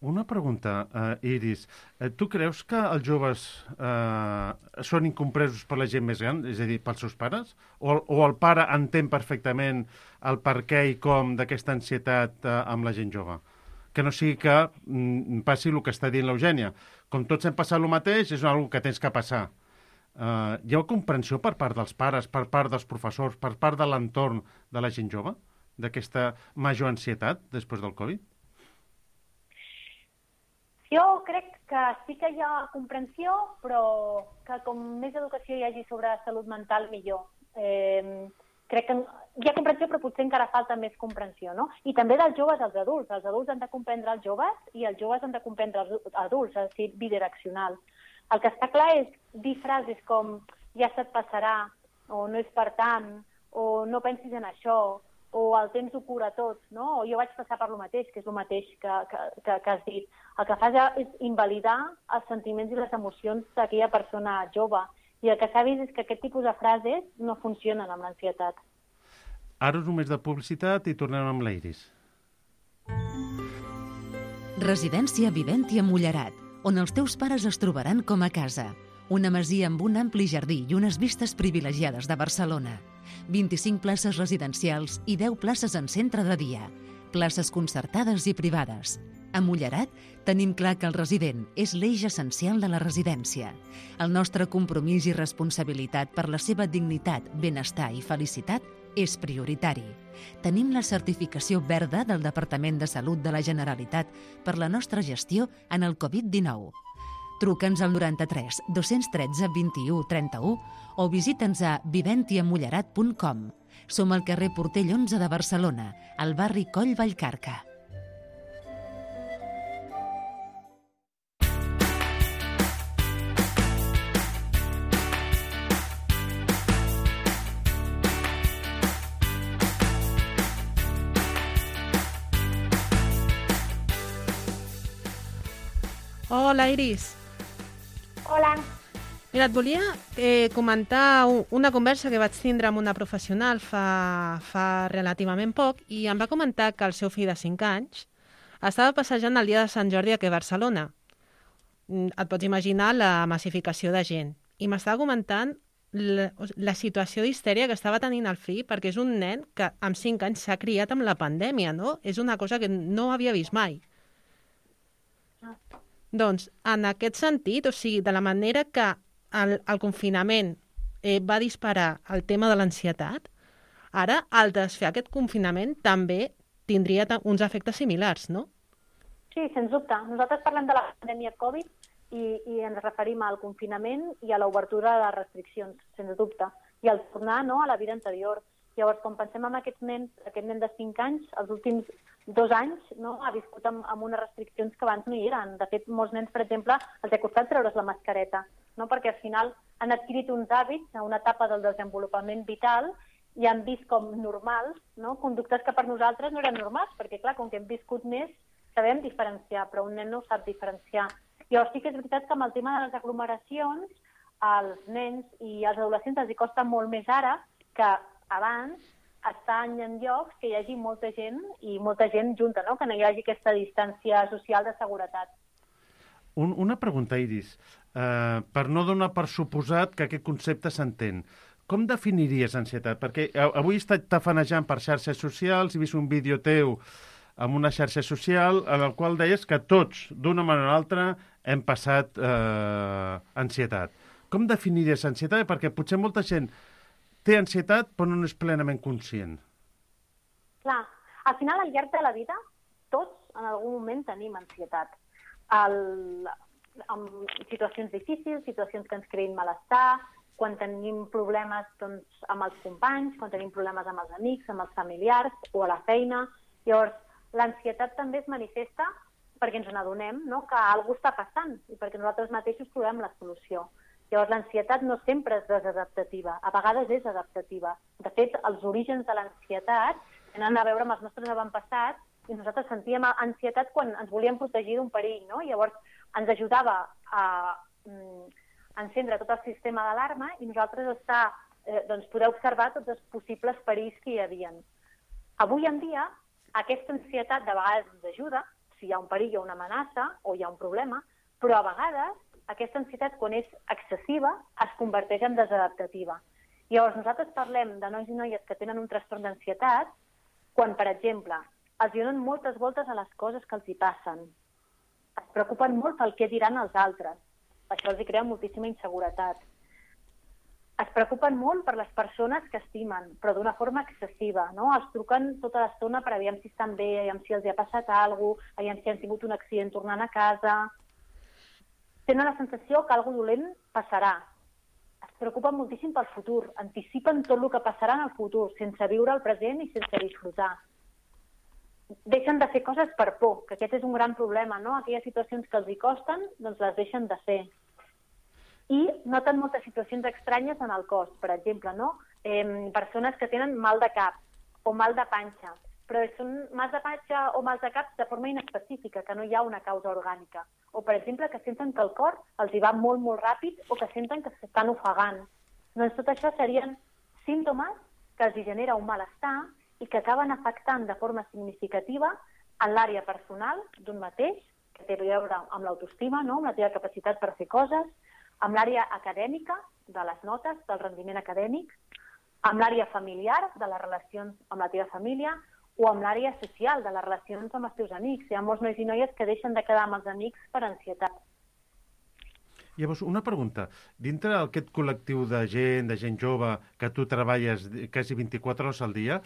Una pregunta, uh, Iris. Uh, tu creus que els joves uh, són incompresos per la gent més gran, és a dir, pels seus pares? O, o el pare entén perfectament el per què i com d'aquesta ansietat uh, amb la gent jove? Que no sigui que mm, passi el que està dient l'Eugènia. Com tots hem passat el mateix, és una cosa que tens que passar. Uh, hi ha comprensió per part dels pares, per part dels professors, per part de l'entorn de la gent jove, d'aquesta major ansietat després del Covid? Jo crec que sí que hi ha comprensió, però que com més educació hi hagi sobre salut mental, millor. Eh, crec que hi ha comprensió, però potser encara falta més comprensió, no? I també dels joves als adults. Els adults han de comprendre els joves i els joves han de comprendre els adults, és a dir, bidireccional. El que està clar és dir frases com ja se't passarà, o no és per tant, o no pensis en això, o el temps ho cura tot, no? O jo vaig passar per lo mateix, que és el mateix que, que, que, que has dit. El que fas és invalidar els sentiments i les emocions d'aquella persona jove. I el que s'ha vist és que aquest tipus de frases no funcionen amb l'ansietat. Ara és només de publicitat i tornem amb l'Iris. Residència Viventi a Mullerat, on els teus pares es trobaran com a casa. Una masia amb un ampli jardí i unes vistes privilegiades de Barcelona. vint-i-cinc places residencials i deu places en centre de dia. Places concertades i privades. A Mullerat tenim clar que el resident és l'eix essencial de la residència. El nostre compromís i responsabilitat per la seva dignitat, benestar i felicitat és prioritari. Tenim la certificació verda del Departament de Salut de la Generalitat per la nostra gestió en el Covid dinou. Truca'ns al noranta-tres dos-cents tretze vint-i-u trenta-u o visita'ns a viventiamullerat punt com. Som al carrer Portell onze de Barcelona, al barri Coll Vallcarca. Hola, Iris. Hola. Mira, et volia eh, comentar una conversa que vaig tindre amb una professional fa, fa relativament poc i em va comentar que el seu fill de cinc anys estava passejant el dia de Sant Jordi aquí a Barcelona. Et pots imaginar la massificació de gent. I m'estava comentant la, la situació d'histèria que estava tenint el fill perquè és un nen que amb cinc anys s'ha criat amb la pandèmia, no? És una cosa que no havia vist mai. Doncs, en aquest sentit, o sigui, de la manera que el, el confinament eh, va disparar el tema de l'ansietat, ara, al desfer aquest confinament, també tindria uns efectes similars, no? Sí, sens dubte. Nosaltres parlem de la pandèmia Covid i, i ens referim al confinament i a l'obertura de les restriccions, sens dubte, i al tornar, no, a la vida anterior. Llavors, quan pensem en aquests nens, aquest nen de cinc anys, els últims dos anys, no, ha viscut amb, amb unes restriccions que abans no hi eren. De fet, molts nens, per exemple, els ha costat treure's la mascareta, no? Perquè al final han adquirit uns hàbits a una etapa del desenvolupament vital i han vist com normals, no? Conductes que per nosaltres no eren normals, perquè clar, com que hem viscut més, sabem diferenciar, però un nen no ho sap diferenciar. Llavors sí que és veritat que amb el tema de les aglomeracions, als nens i als adolescents els hi costa molt més ara que abans estar en llocs que hi hagi molta gent i molta gent junta, no? Que no hi hagi aquesta distància social de seguretat. Un, una pregunta, Iris. Uh, per no donar per suposat que aquest concepte s'entén, com definiries ansietat? Perquè avui he estat tafanejant per xarxes socials, he vist un vídeo teu amb una xarxa social en el qual deies que tots, d'una manera o altra, hem passat uh, ansietat. Com definiries ansietat? Perquè potser molta gent té ansietat però no és plenament conscient. Clar, al final, al llarg de la vida, tots en algun moment tenim ansietat. El, en situacions difícils, situacions que ens creïn malestar, quan tenim problemes doncs, amb els companys, quan tenim problemes amb els amics, amb els familiars o a la feina. Llavors, l'ansietat també es manifesta perquè ens n'adonem, no?, que alguna cosa està passant i perquè nosaltres mateixos trobem la solució. Llavors, l'ansietat no sempre és desadaptativa, a vegades és adaptativa. De fet, els orígens de l'ansietat tenen a veure amb els nostres avantpassats i nosaltres sentíem ansietat quan ens volíem protegir d'un perill, no? Llavors, ens ajudava a mm, encendre tot el sistema d'alarma i nosaltres estar, eh, doncs, poder observar tots els possibles perills que hi havia. Avui en dia, aquesta ansietat de vegades ens ajuda, si hi ha un perill o una amenaça o hi ha un problema, però a vegades aquesta ansietat, quan és excessiva, es converteix en desadaptativa. Llavors, nosaltres parlem de nois i noies que tenen un trastorn d'ansietat quan, per exemple, els donen moltes voltes a les coses que els hi passen. Es preocupen molt pel què diran els altres. Això els hi crea moltíssima inseguretat. Es preocupen molt per les persones que estimen, però d'una forma excessiva, no? Els truquen tota l'estona per aviam si estan bé, aviam si els hi ha passat alguna cosa, aviam si han tingut un accident tornant a casa. Tenen la sensació que alguna cosa dolent passarà. Es preocupen moltíssim pel futur, anticipen tot el que passarà en el futur, sense viure el present i sense disfrutar. Deixen de fer coses per por, que aquest és un gran problema, no? Aquelles situacions que els hi costen, doncs les deixen de fer. I noten moltes situacions estranyes en el cos, per exemple, no? Eh, persones que tenen mal de cap o mal de panxa, però són mals de panxa o mals de cap de forma inespecífica, que no hi ha una causa orgànica. O, per exemple, que senten que el cor els hi va molt, molt ràpid o que senten que s'estan ofegant. Doncs tot això serien símptomes que els hi genera un malestar i que acaben afectant de forma significativa en l'àrea personal d'un mateix, que té a veure amb l'autoestima, no? Amb la teva capacitat per fer coses, amb l'àrea acadèmica, de les notes, del rendiment acadèmic, amb l'àrea familiar, de les relacions amb la teva família, o amb l'àrea social, de les relacions amb els teus amics. Hi ha molts nois i noies que deixen de quedar amb els amics per ansietat. Llavors, una pregunta. Dintre d'aquest col·lectiu de gent, de gent jove, que tu treballes quasi vint-i-quatre hores al dia,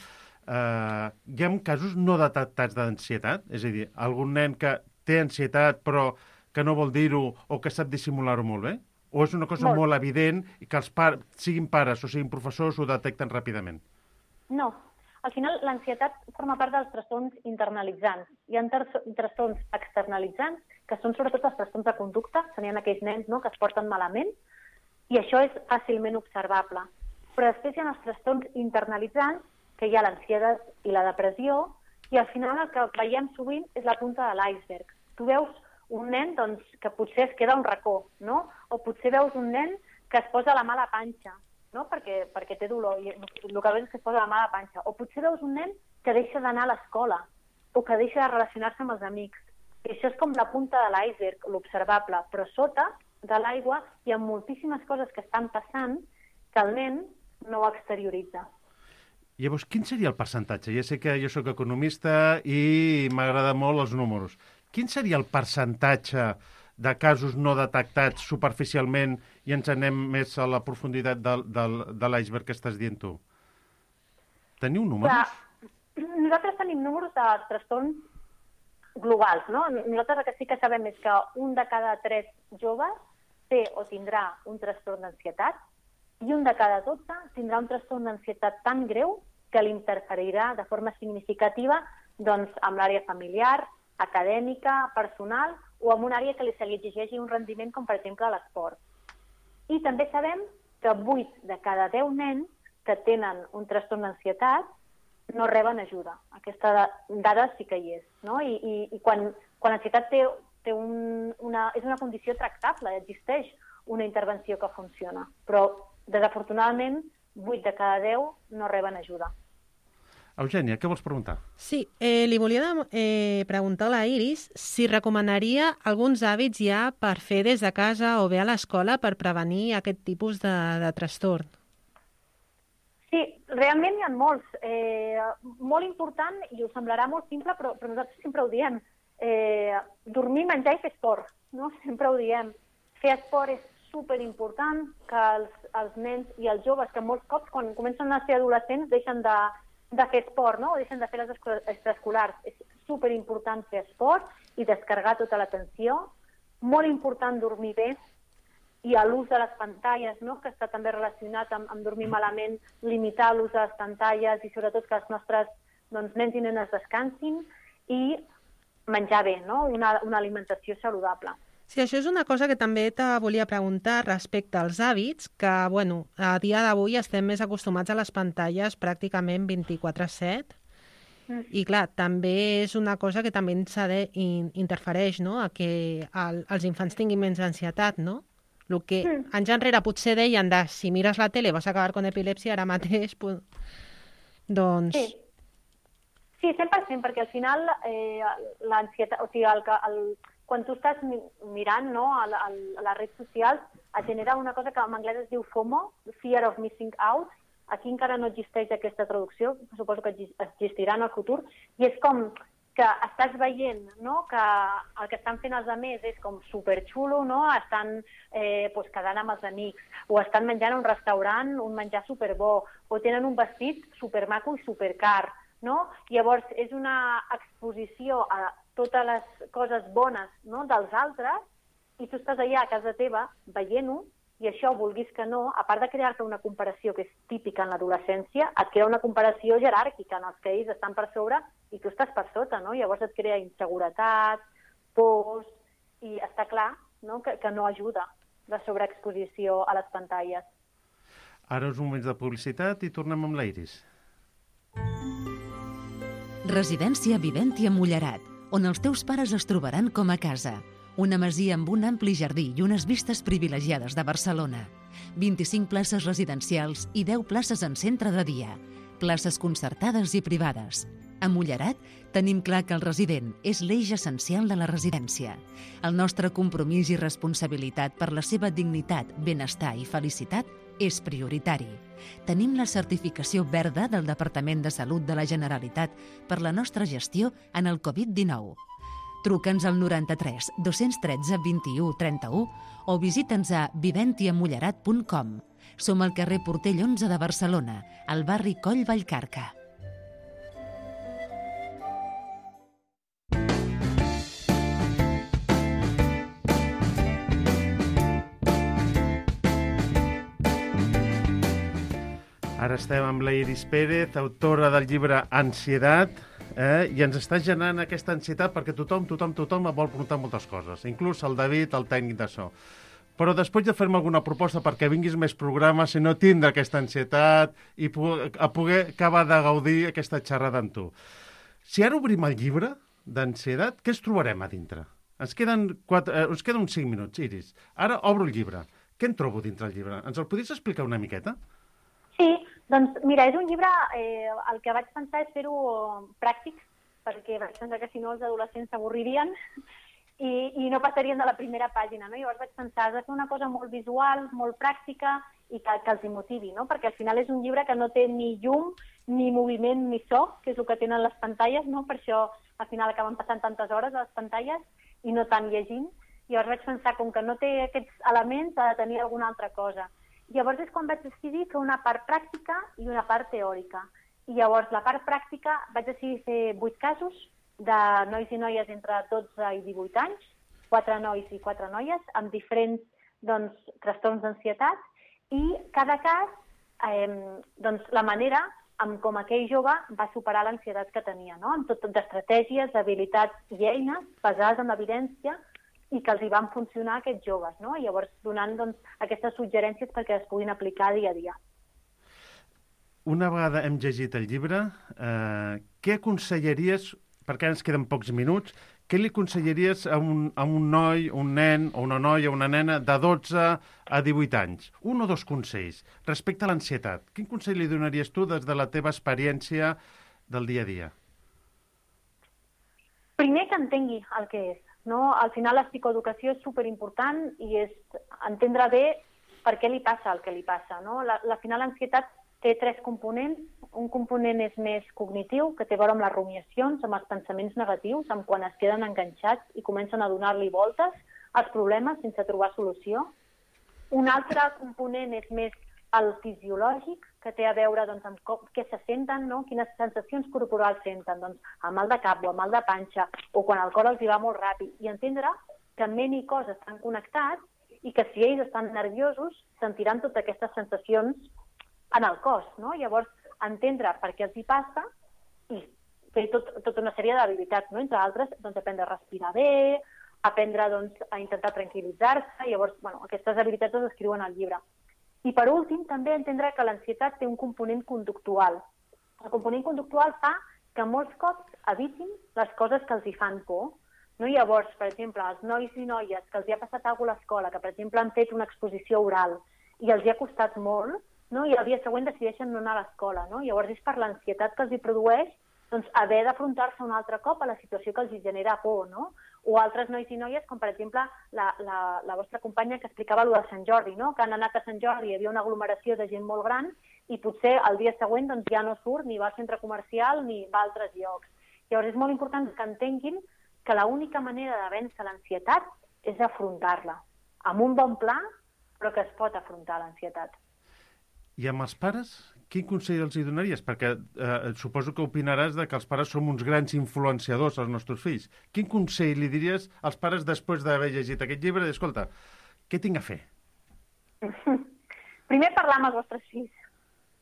eh, hi ha casos no detectats d'ansietat? És a dir, algun nen que té ansietat però que no vol dir-ho o que sap dissimular-ho molt bé? O és una cosa molt, molt evident i que els pares, siguin pares o siguin professors, ho detecten ràpidament? No. Al final, l'ansietat forma part dels trastorns internalitzants. Hi ha trastorns externalitzants, que són sobretot els trastorns de conducta, serien aquells nens, no?, que es porten malament, i això és fàcilment observable. Però després hi ha els trastorns internalitzants, que hi ha l'ansietat i la depressió, i al final el que veiem sovint és la punta de l'iceberg. Tu veus un nen doncs, que potser es queda a un racó, no? O potser veus un nen que es posa la mala panxa, no? perquè, perquè té dolor, i el que veus és que es posa la mala panxa. O potser veus un nen que deixa d'anar a l'escola, o que deixa de relacionar-se amb els amics. I això és com la punta de l'iceberg, l'observable, però sota de l'aigua hi ha moltíssimes coses que estan passant que el nen no ho exterioritza. Llavors, quin seria el percentatge? Ja sé que jo sóc economista i m'agrada molt els números. Quin seria el percentatge de casos no detectats superficialment i ens anem més a la profunditat de, de, de l'iceberg que estàs dient tu? Teniu números? Clar, nosaltres tenim números de trastorns globals, no? Nosaltres el que sí que sabem és que un de cada tres joves té o tindrà un trastorn d'ansietat i un de cada dotze tindrà un trastorn d'ansietat tan greu que l'interferirà de forma significativa doncs, amb l'àrea familiar, acadèmica, personal, o amb una àrea que li se li exigeixi un rendiment, com per exemple l'esport. I també sabem que vuit de cada deu nens que tenen un trastorn d'ansietat no reben ajuda. Aquesta dada sí que hi és. No? I, i, i quan, quan l'ansietat té, té un, una, és una condició tractable, existeix una intervenció que funciona. Però, desafortunadament, vuit de cada deu no reben ajuda. Eugènia, què vols preguntar? Sí, eh, li volia eh, preguntar a la Iris si recomanaria alguns hàbits ja per fer des de casa o bé a l'escola per prevenir aquest tipus de, de trastorn. Sí, realment hi ha molts. Eh, molt important, i us semblarà molt simple, però, però nosaltres sempre ho diem. Eh, dormir, menjar i fer esport. No? Sempre ho diem. Fer esport és superimportant, que els, els nens i els joves, que molts cops, quan comencen a ser adolescents, deixen de de fer esport, no? O deixen de fer les extraescolars. És superimportant fer esport i descarregar tota l'atenció. Molt important dormir bé i l'ús de les pantalles, no? Que està també relacionat amb, amb dormir malament, limitar l'ús de les pantalles i sobretot que els nostres doncs, nens i nenes descansin i menjar bé, no? Una, una alimentació saludable. Sí, això és una cosa que també te volia preguntar respecte als hàbits, que, bueno, a dia d'avui estem més acostumats a les pantalles pràcticament vint-i-quatre set, mm. i clar, també és una cosa que també ens interfereix, no?, a que el, els infants tinguin menys ansietat, no? El que mm. anys enrere potser deien de si mires la tele vas a acabar con epilèpsia, ara mateix, pues, doncs... Sí. Sí, cent per cent, perquè al final eh, l'ansietat, o sigui, el, el, quan tu estàs mirant no, a, a, a les redes socials, et genera una cosa que en anglès es diu FOMO, Fear of Missing Out. Aquí encara no existeix aquesta traducció, suposo que existirà en el futur, i és com que estàs veient no, que el que estan fent els altres és com superxulo, no? Estan eh, pues, quedant amb els amics, o estan menjant a un restaurant un menjar superbo, o tenen un vestit supermaco i supercar, no? Llavors, és una exposició a totes les coses bones no, dels altres, i tu estàs allà a casa teva veient-ho, i això, vulguis que no, a part de crear-te una comparació que és típica en l'adolescència, et crea una comparació jeràrquica en els que ells estan per sobre i tu estàs per sota, no? Llavors et crea inseguretat, pors, i està clar no, que, que no ajuda la sobreexposició a les pantalles. Ara uns moments de publicitat i tornem amb l'Iris. Residència Viventia Mullerat, on els teus pares es trobaran com a casa. Una masia amb un ampli jardí i unes vistes privilegiades de Barcelona. vint-i-cinc places residencials i deu places en centre de dia. Places concertades i privades. A Mullerat tenim clar que el resident és l'eix essencial de la residència. El nostre compromís i responsabilitat per la seva dignitat, benestar i felicitat és prioritari. Tenim la certificació verda del Departament de Salut de la Generalitat per la nostra gestió en el covid dinou. Truca'ns al noranta-tres dos-cents tretze vint-i-u trenta-u o visita'ns a viventia mullerat punt com. Som al carrer Portell onze de Barcelona, al barri Coll Vallcarca. Ara estem amb la Iris Pérez, autora del llibre Ansietat, eh? I ens està generant aquesta ansietat perquè tothom, tothom, tothom vol preguntar moltes coses, inclús el David, el tècnic de so. Però després de fer-me alguna proposta perquè vinguis més programes, si no tindre aquesta ansietat i a poder acabar de gaudir aquesta xerrada amb tu. Si ara obrim el llibre d'ansietat, què es trobarem a dintre? Ens queden, quatre, eh, ens queden uns cinc minuts, Iris. Ara obro el llibre. Què en trobo dintre el llibre? Ens el podries explicar una miqueta? Sí, doncs mira, és un llibre, eh, el que vaig pensar és fer-ho pràctic, perquè vaig pensar que si no els adolescents s'avorririen i, i no passarien de la primera pàgina, no? Llavors vaig pensar, has de fer una cosa molt visual, molt pràctica i que, que els hi motivi, no? Perquè al final és un llibre que no té ni llum, ni moviment, ni so, que és el que tenen les pantalles, no? Per això al final acaben passant tantes hores a les pantalles i no tant llegint. Llavors vaig pensar, com que no té aquests elements, ha de tenir alguna altra cosa. Llavors és quan vaig decidir fer una part pràctica i una part teòrica. I llavors la part pràctica vaig decidir fer vuit casos de nois i noies entre dotze i divuit anys, quatre nois i quatre noies, amb diferents doncs, trastorns d'ansietat, i cada cas, eh, doncs, la manera amb com aquell jove va superar l'ansietat que tenia, no? Amb tot d'estratègies, habilitats i eines basades en l'evidència i que els hi van funcionar a aquests joves, no? I llavors donant doncs, aquestes suggerències perquè es puguin aplicar dia a dia. Una vegada hem llegit el llibre, eh, què aconsellaries, perquè ens queden pocs minuts, què li aconsellaries a un, a un noi, un nen o una noia o una nena de dotze a divuit anys? Un o dos consells respecte a l'ansietat. Quin consell li donaries tu des de la teva experiència del dia a dia? Primer que entengui el que és. No? Al final la psicoeducació és superimportant i és entendre bé per què li passa el que li passa. No? La, la final l'ansietat té tres components. Un component és més cognitiu, que té a veure amb les rumiacions, amb els pensaments negatius, amb quan es queden enganxats i comencen a donar-li voltes als problemes sense trobar solució. Un altre component és més el fisiològic, que té a veure doncs, amb com, què se senten, no? Quines sensacions corporals senten, doncs, amb mal de cap o amb mal de panxa, o quan el cor els hi va molt ràpid, i entendre que ment i cos estan connectats i que si ells estan nerviosos sentiran totes aquestes sensacions en el cos, no? Llavors, entendre per què els hi passa i fer tot, tota una sèrie d'habilitats, no? Entre altres, doncs, aprendre a respirar bé, aprendre doncs, a intentar tranquil·litzar-se, llavors, bueno, aquestes habilitats es descriuen al llibre. I per últim, també entendre que l'ansietat té un component conductual. El component conductual fa que molts cops evitin les coses que els hi fan por. No? Llavors, per exemple, els nois i noies que els hi ha passat alguna cosa a l'escola, que per exemple han fet una exposició oral i els hi ha costat molt, no? I el dia següent decideixen no anar a l'escola. No? Llavors és per l'ansietat que els hi produeix doncs, haver d'afrontar-se un altre cop a la situació que els genera por, no? O altres nois i noies, com per exemple la, la, la vostra companya que explicava allò de Sant Jordi, no? Que han anat a Sant Jordi, hi havia una aglomeració de gent molt gran i potser el dia següent doncs, ja no surt ni va al centre comercial ni va a altres llocs. Llavors és molt important que entenguin que l'única manera de vèncer l'ansietat és afrontar-la, amb un bon pla, però que es pot afrontar l'ansietat. I amb els pares, quin consell els hi donaries? Perquè eh, suposo que opinaràs de que els pares som uns grans influenciadors als nostres fills. Quin consell li diries als pares després d'haver llegit aquest llibre? Escolta, què tinc a fer? Primer, parlar amb els vostres fills,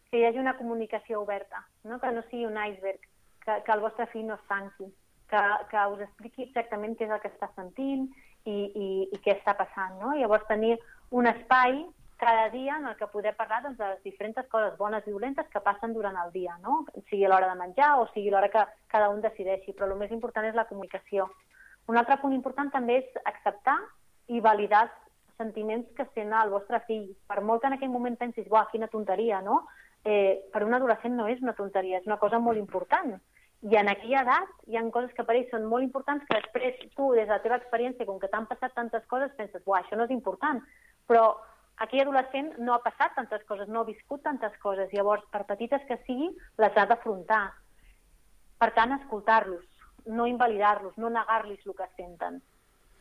que hi hagi una comunicació oberta, no? Que no sigui un iceberg, que, que el vostre fill no es tanqui, que, que us expliqui exactament què és el que està sentint i, i, i què està passant, no? Llavors tenir un espai cada dia en el que poder parlar doncs, de les diferents coses bones i dolentes que passen durant el dia, no? Sigui l'hora de menjar o sigui l'hora que cada un decideixi, però el més important és la comunicació. Un altre punt important també és acceptar i validar els sentiments que sent el vostre fill. Per molt que en aquell moment pensis, buah, quina tonteria, no? Eh, per un adolescent no és una tonteria, és una cosa molt important. I en aquella edat hi ha coses que per ells són molt importants que després tu, des de la teva experiència, com que t'han passat tantes coses, penses, buah, això no és important. Però aquell adolescent no ha passat tantes coses, no ha viscut tantes coses. Llavors, per petites que sigui, les ha d'afrontar. Per tant, escoltar-los, no invalidar-los, no negar-los el que senten.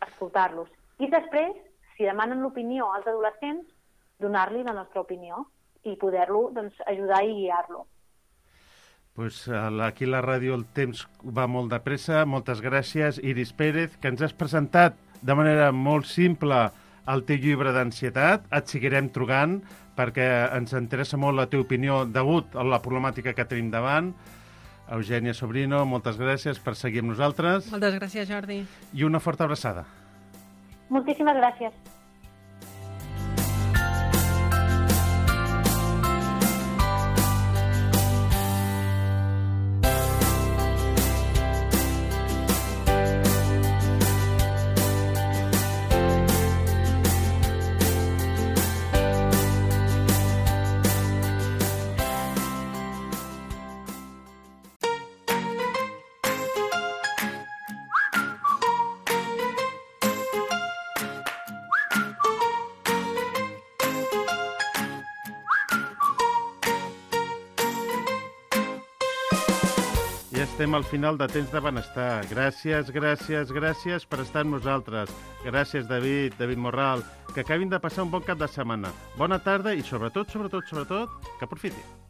Escoltar-los. I després, si demanen l'opinió als adolescents, donar-li la nostra opinió i poder-lo doncs, ajudar i guiar-lo. Pues aquí a la ràdio el temps va molt de pressa. Moltes gràcies, Iris Pérez, que ens has presentat de manera molt simple el teu llibre d'ansietat. Et seguirem trucant perquè ens interessa molt la teva opinió degut a la problemàtica que tenim davant. Eugènia Sobrino, moltes gràcies per seguir amb nosaltres. Moltes gràcies, Jordi. I una forta abraçada. Moltíssimes gràcies. Estem al final de Temps de Benestar. Gràcies, gràcies, gràcies per estar amb nosaltres. Gràcies, David, David Morral. Que acabin de passar un bon cap de setmana. Bona tarda i, sobretot, sobretot, sobretot, que aprofitin.